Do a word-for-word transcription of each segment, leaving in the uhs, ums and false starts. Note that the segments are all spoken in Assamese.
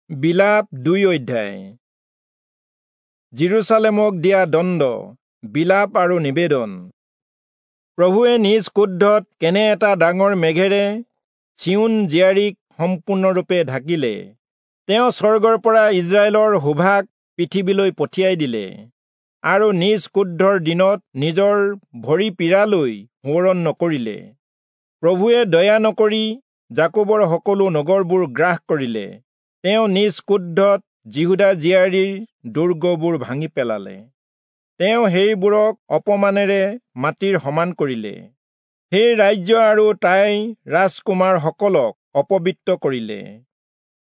বিলাপ দুই অধ্যায়। যিৰূচালেমক দিয়া দণ্ড, বিলাপ আৰু নিবেদন। প্ৰভুৱে নিজ ক্ৰোধত কেনে এটা ডাঙৰ মেঘেৰে চিয়োন জীয়াৰীক সম্পূৰ্ণৰূপে ঢাকিলে। তেওঁ স্বৰ্গৰ পৰা ইজৰাইলৰ শোভাক পৃথিৱীলৈ পঠিয়াই দিলে আৰু নিজ ক্ৰোধৰ দিনত নিজৰ ভৰি পীৰালৈ সোঁৱৰণ নকৰিলে। প্ৰভুৱে দয়া নকৰি যাকোবৰ সকলো নগৰবোৰ গ্ৰাস কৰিলে। তেওঁ নিজ ক্ৰোধত যিহূদা জীয়াৰীৰ দুৰ্গবোৰ ভাঙি পেলালে। তেওঁ সেইবোৰক অপমানেৰে মাটিৰ সমান কৰিলে। সেই ৰাজ্য আৰু তাইৰ ৰাজকুমাৰসকলক অপবিত্ৰ কৰিলে।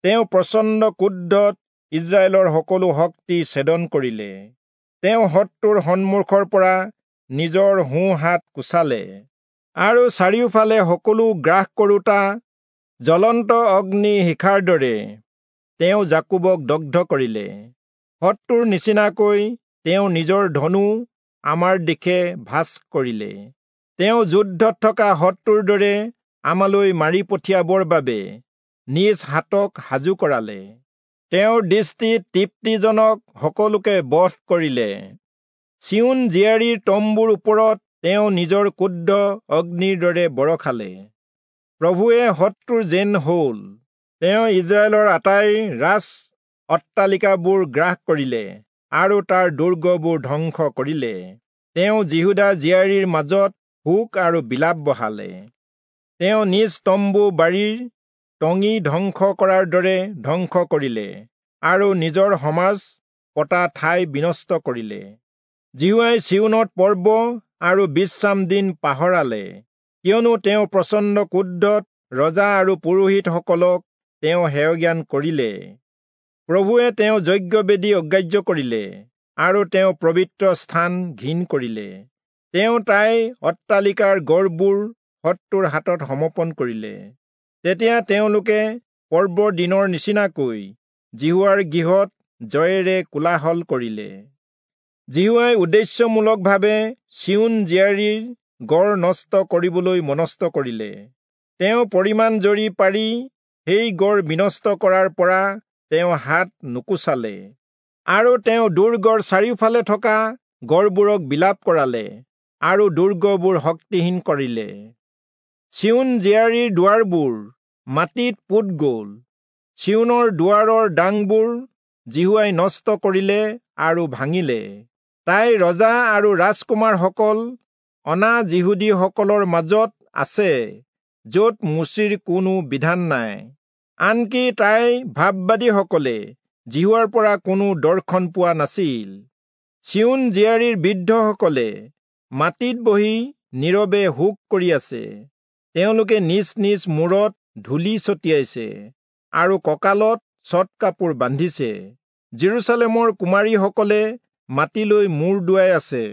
তেওঁ প্ৰচণ্ড ক্ৰোধত ইজৰাইলৰ সকলো শক্তি ছেদন কৰিলে। তেওঁ শত্ৰুৰ সন্মুখৰ পৰা নিজৰ সোঁ হাত কোঁচালে আৰু চাৰিওফালে সকলো গ্ৰাস কৰোঁতা জ্বলন্ত অগ্নি শিখাৰ দৰে তেওঁ যাকোবক দগ্ধ কৰিলে। শত্ৰুৰ নিচিনাকৈ তেওঁ নিজৰ ধনু আমাৰ দিশে ভাঁজ কৰিলে। তেওঁ যুদ্ধত থকা শত্ৰুৰ দৰে আমালৈ মাৰি পঠিয়াবৰ বাবে নিজ হাতক সাজু কৰালে। তেওঁৰ দৃষ্টিত তৃপ্তিজনক সকলোকে বধ কৰিলে। চিয়োন জীয়াৰীৰ তম্বুৰ ওপৰত তেওঁ নিজৰ ক্ৰোধ অগ্নিৰ দৰে বৰষালে। প্ৰভুৱে শত্ৰুৰ যেন হ'ল। তেওঁ ইজৰাইলৰ আটাই ৰাজ অট্টালিকাবোৰ গ্ৰাস কৰিলে আৰু তাৰ দুৰ্গবোৰ ধ্বংস কৰিলে। তেওঁ যিহূদা জীয়াৰীৰ মাজত শোক আৰু বিলাপ বঢ়ালে। তেওঁ নিজ তম্বু বাৰীৰ টঙি ধ্বংস কৰাৰ দৰে ধ্বংস কৰিলে আৰু নিজৰ সমাজ পতা ঠাই বিনষ্ট কৰিলে। যিহোৱাই চিয়োনত পৰ্ব আৰু বিশ্ৰাম দিন পাহৰালে, কিয়নো তেওঁ প্ৰচণ্ড ক্ৰোধত ৰজা আৰু পুৰোহিতসকলক তেওঁ হেয়জ্ঞান কৰিলে। প্ৰভুৱে তেওঁ যজ্ঞবেদী অগ্ৰাহ্য কৰিলে আৰু তেওঁ পবিত্ৰ স্থান ঘিণ কৰিলে। তেওঁ তাইৰ অট্টালিকাৰ গড়বোৰ শত্ৰুৰ হাতত সমৰ্পণ কৰিলে। তেতিয়া তেওঁলোকে পৰ্বৰ দিনৰ নিচিনাকৈ যিহোৱাৰ গৃহত জয়েৰে কোলাহল কৰিলে। যিহোৱাই উদ্দেশ্যমূলকভাৱে চিয়োন জীয়াৰীৰ গড় নষ্ট কৰিবলৈ মনস্থ কৰিলে। তেওঁ পৰিমাণ জৰি পাৰি সেই গড় বিনষ্ট কৰাৰ পৰা তেওঁ হাত নুকুচালে আৰু তেওঁ দুৰ্গৰ চাৰিওফালে থকা গড়বোৰক বিলাপ কৰালে আৰু দুৰ্গবোৰ শক্তিহীন কৰিলে। চিয়োন জীয়াৰীৰ দুৱাৰবোৰ মাটিত পোত গ'ল। চিয়োনৰ দুৱাৰৰ ডাংবোৰ যিহোৱাই নষ্ট কৰিলে আৰু ভাঙিলে। তাইৰ ৰজা আৰু ৰাজকুমাৰসকল অনা যিহুদীসকলৰ মাজত আছে, য'ত মোচিৰ কোনো বিধান নাই। আনকি তাইৰ ভাববাদীসকলে যিহোৱাৰ পৰা কোনো দৰ্শন পোৱা নাছিল। চিয়োন জীয়াৰীৰ বৃদ্ধসকলে মাটিত বহি নীৰৱে শোক কৰি আছে। তেওঁলোকে নিজ নিজ মূৰত ধূলি ছটিয়াইছে আৰু কঁকালত চট কাপোৰ বান্ধিছে। যিৰূচালেমৰ কুমাৰীসকলে মাটিলৈ মূৰ দোৱাই আছে।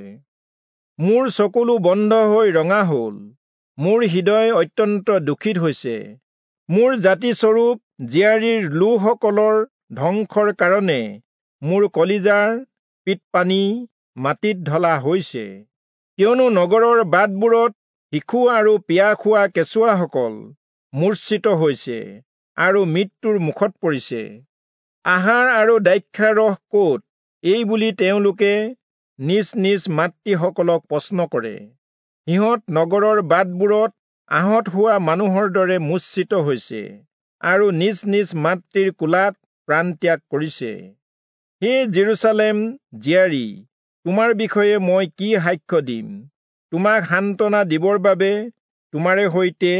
মোৰ চকুলো বন্ধ হৈ ৰঙা হ'ল, মোৰ হৃদয় অত্যন্ত দুখিত হৈছে। মোৰ জাতিস্বৰূপ জীয়াৰীৰ লোকসকলৰ ধ্বংসৰ কাৰণে মোৰ কলিজাৰ পিতপানী মাটিত ঢলা হৈছে। কিয়নো নগৰৰ বাটবোৰত শিশু আৰু পিয়াহ খোৱা কেঁচুৱাসকল মূৰ্ছিত হৈছে আৰু মৃত্যুৰ মুখত পৰিছে। আহাৰ আৰু দ্ৰাক্ষাৰস ক'ত, এই বুলি তেওঁলোকে নিজ নিজ মাতৃসকলক প্ৰশ্ন কৰে। সিহঁত নগৰৰ বাটবোৰত আহত হোৱা মানুহৰ দৰে মূৰ্ছিত হৈছে আৰু নিজ নিজ মাতৃৰ কোলাত প্ৰাণত্যাগ কৰিছে। হে যিৰূচালেম জীয়াৰী, তোমাৰ বিষয়ে মই কি সাক্ষ্য দিম? তোমাক সান্তনা দিবৰ বাবে তোমাৰে সৈতে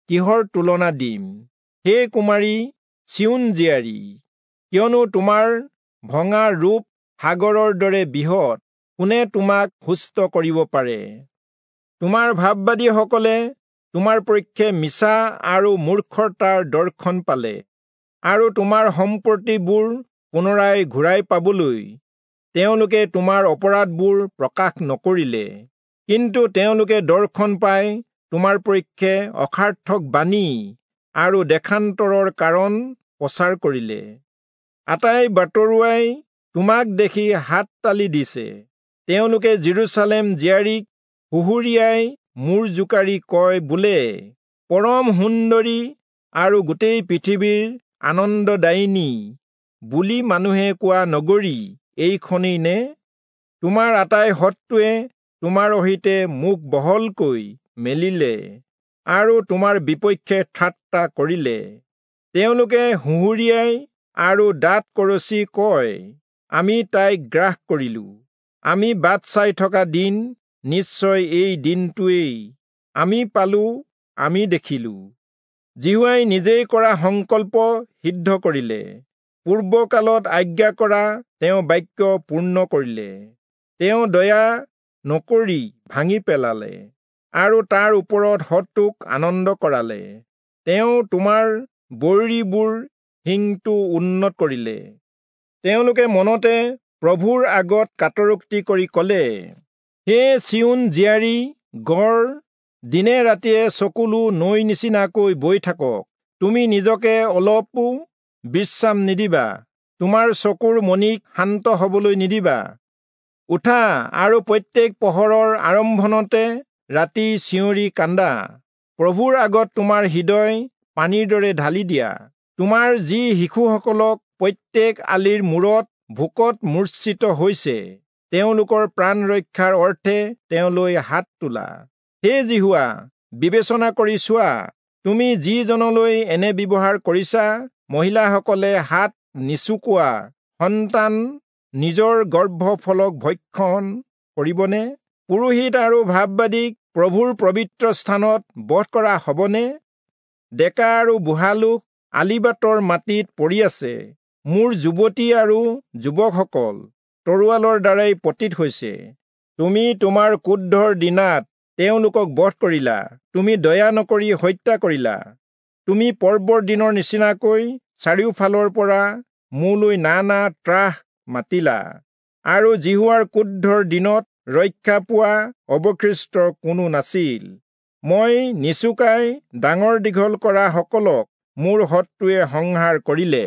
কিহৰ তুলনা দিম? হে কুমাৰী চিয়োন জীয়াৰী, কিয়নো তোমাৰ ভঙা ৰূপ সাগৰৰ দৰে বৃহৎ, কোনে তোমাক সুস্থ কৰিব পাৰে? তোমাৰ ভাববাদীসকলে তোমাৰ পক্ষে মিছা আৰু মূৰ্খতাৰ দৰ্শন পালে আৰু তোমাৰ সম্পত্তিবোৰ পুনৰাই ঘূৰাই পাবলৈ তেওঁলোকে তোমাৰ অপৰাধবোৰ প্ৰকাশ নকৰিলে। কিন্তু তেওঁলোকে দৰ্শন পাই তোমাৰ পক্ষে অসাৰ্থক বাণী আৰু দেশান্তৰৰ কাৰণ প্ৰচাৰ কৰিলে। আটাই বাটৰুৱাই তোমাক দেখি হাত তালি দিছে। তেওঁলোকে যিৰূচালেম জীয়াৰীক সুহুৰিয়াই মূৰ জোকাৰি কয় বোলে, পৰম সুন্দৰী আৰু গোটেই পৃথিৱীৰ আনন্দদায়িনী বুলি মানুহে কোৱা নগৰী এইখনেই নে? তোমাৰ আটাই শত্ৰুৱে তোমাৰ অহিতে মুখ বহলকৈ মেলিলে আৰু তোমাৰ বিপক্ষে ঠাট্টা কৰিলে। তেওঁলোকে হুঁহুৰিয়াই আৰু দাঁত কৰচি কয়, আমি তাইক গ্ৰাস কৰিলো। আমি বাট চাই থকা দিন নিশ্চয় এই দিনটোৱেই। আমি পালো, আমি দেখিলো। যিহোৱাই নিজেই কৰা সংকল্প সিদ্ধ কৰিলে, পূৰ্বকালত আজ্ঞা কৰা তেওঁ বাক্য পূৰ্ণ কৰিলে। তেওঁ দয়া নকৰি ভাঙি পেলালে আৰু তাৰ ওপৰত শত্ৰুক আনন্দ কৰালে। তেওঁ তোমাৰ বৈৰীবোৰ শিংটো উন্নত কৰিলে। তেওঁলোকে মনতে প্ৰভুৰ আগত কাতৰোক্তি কৰি কলে, হে চিয়োন জীয়াৰী গড়, দিনে ৰাতিয়ে চকুলো নৈ নিচিনাকৈ বৈ থাকক। তুমি নিজকে অলপো বিশ্ৰাম নিদিবা, তোমাৰ চকুৰ মণিক শান্ত হবলৈ নিদিবা। উঠা আৰু প্ৰত্যেক পহৰৰ আৰম্ভণতে ৰাতি চিঞৰি কান্দা। প্ৰভুৰ আগত তোমাৰ হৃদয় পানীৰ দৰে ঢালি দিয়া। তোমাৰ যি শিশুসকলক প্ৰত্যেক আলিৰ মূৰত ভোকত মূৰ্ছিত হৈছে, তেওঁলোকৰ প্ৰাণ ৰক্ষাৰ অৰ্থে তেওঁলৈ হাত তোলা। হে যিহোৱা, বিবেচনা কৰি চোৱা, তুমি যিজনলৈ এনে ব্যৱহাৰ কৰিছা, মহিলাসকলে হাত নিচুকোৱা সন্তান নিজৰ গৰ্ভফলক ভক্ষণ কৰিবনে? পুৰোহিত আৰু ভাববাদীক প্ৰভুৰ পবিত্ৰ স্থানত বধ কৰা হবনে? ডেকা আৰু বুঢ়া লোক আলিবাটৰ মাটিত পৰি আছে। মোৰ যুৱতী আৰু যুৱকসকল তৰোৱালৰ দ্বাৰাই পতিত হৈছে। তুমি তোমাৰ ক্ৰোধৰ দিনাত তেওঁলোকক বধ কৰিলা, তুমি দয়া নকৰি হত্যা কৰিলা। তুমি পৰ্বৰ দিনৰ নিচিনাকৈ চাৰিওফালৰ পৰা মোলৈ নানা ত্ৰাস মাতিলা, আৰু যিহোৱাৰ ক্ৰোধৰ দিনত ৰক্ষা পোৱা অৱশিষ্ট কোনো নাছিল। মই নিচুকাই ডাঙৰ দীঘল কৰা সকলক মোৰ শত্ৰুৱে সংহাৰ কৰিলে।